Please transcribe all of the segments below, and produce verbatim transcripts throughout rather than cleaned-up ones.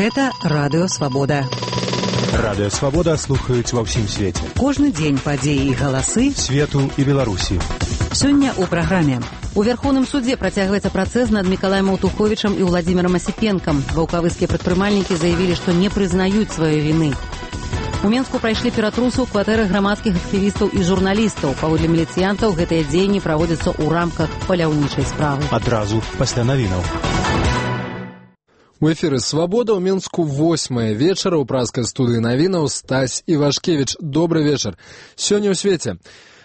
Гэта Радыё Свабода. Радыё Свабода слухаюць ва ўсім свеце. Кожны дзень падзеі і галасы свету і Беларусі. Сёння ў праграме. У Верховным судзе працягваецца працэс над Мікалаем Аўтуховічам і Владзімірам Асіпенкам. Ваўкавыскія прадпрымальнікі заявілі, што не прызнаюць сваёй віны. У Менску прайшлі ператрусы ў кватэрах грамадскіх актывістаў і журналістаў. Паводле міліцыянтаў, гэтыя дзеянні праводзяцца ў рамках паляўнічай справы. Адразу пасля навінаў. У эфіры «Свабода» ў Менску восьмая вечара ў празкай студыі навінаў Стась Івашкевіч. Добры вечар. Сёння ў свеце.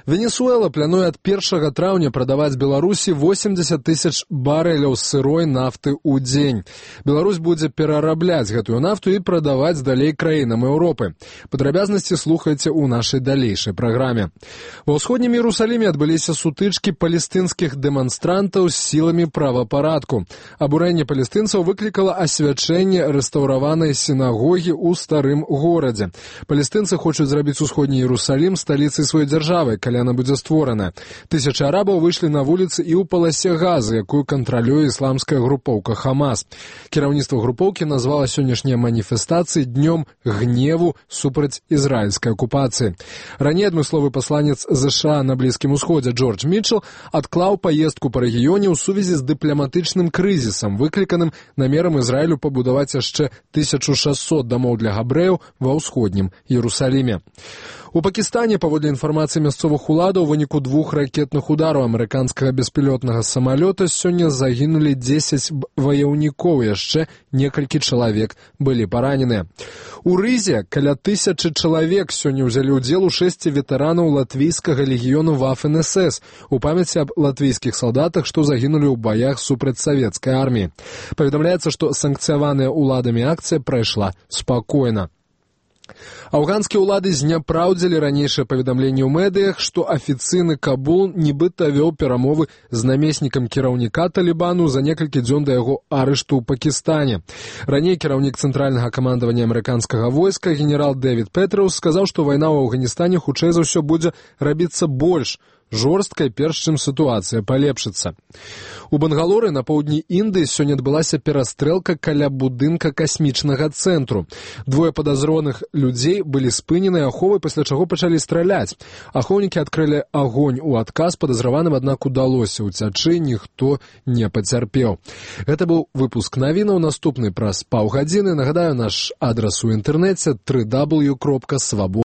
Венесуэла плануе ад першага траўня прадаваць Беларусі восемьдесят тысяч барэляў сырой нафты ў дзень. Беларусь будзе перарабляць гэтую нафту і прадаваць далей краінам Еўропы. Падрабязнасці слухайце ў нашай далейшай праграме. Ва ўсходнім Іерусаліме адбыліся сутычкі палестынскіх дэманстрантаў з сіламі правапарадку. Абурэнне палестынцаў выклікала асвячэнне рэстаўраванай сінагогі ў старым горадзе. Палестынцы хочуць зрабіць усходні Іерусалім сталіцай сваёй дзяржавы, калі яна будзе створана. Тысячы арабаў выйшлі на вуліцы і ў паласе Газы, якую кантралюе ісламская групоўка Хамас. Кіраўніцтва групоўкі назвала сённяшнія маніфестацыі днём гневу супраць ізраільскай акупацыі. Раней адмысловы пасланец ЗША на Блізкім Усходзе Джордж Мітчел адклаў паездку па рэгіёне ў сувязі з дыпламатычным крызісам, выкліканым намерам Ізраілю пабудаваць яшчэ тысячу шэсцьсот дамоў для габрэяў ва ўсходнім Іерусаліме. У Пакістане, паводле інфармацыі мясцовых уладаў, у выніку двух ракетных удараў амерыканскага беспілотнага самалёта сёння загінулі дзесяць ваяўнікоў, яшчэ некалькі чалавек былі параненыя. У Рызе каля тысячы чалавек сёння ўзялі ўдзел у шэсці ветэранаў латвійскага легіёну Вафен-эс эс у памяці аб латвійскіх салдатах, што загінулі ў баях супраць савецкай арміі. Паведамляецца, што санкцыяваная ўладамі акцыя прайшла спакойна. Афганскія ўлады зняпраўдзілі ранейшае паведамленне ў медыях, што афіцыйны Кабул нібыта вёў перамовы з намеснікам кіраўніка Талібану за некалькі дзён да яго арышту ў Пакістане. Раней кіраўнік цэнтральнага камандавання амерыканскага войска генерал Дэвід Петраўс сказаў, што вайна ў Афганістане хутчэй за ўсё будзе рабіцца больш жорсткай, перш чым сітуацыя палепшыцца. У Бангалоры на поўдні Індыі сёння адбылася перастрэлка каля будынка касмічнага цэнтру. Двое падазроных людзей былі спынены аховай, пасля чаго пачалі страляць. Ахоўнікі адкрылі агонь у адказ падазраваным, аднак удалося ўцячы, ніхто не пацярпеў. Гэта быў выпуск навінаў, наступны праз паўгадзіны. Нагадаю, наш адрас у інтэрнэце дабл ю дабл ю дабл ю кропка свабода.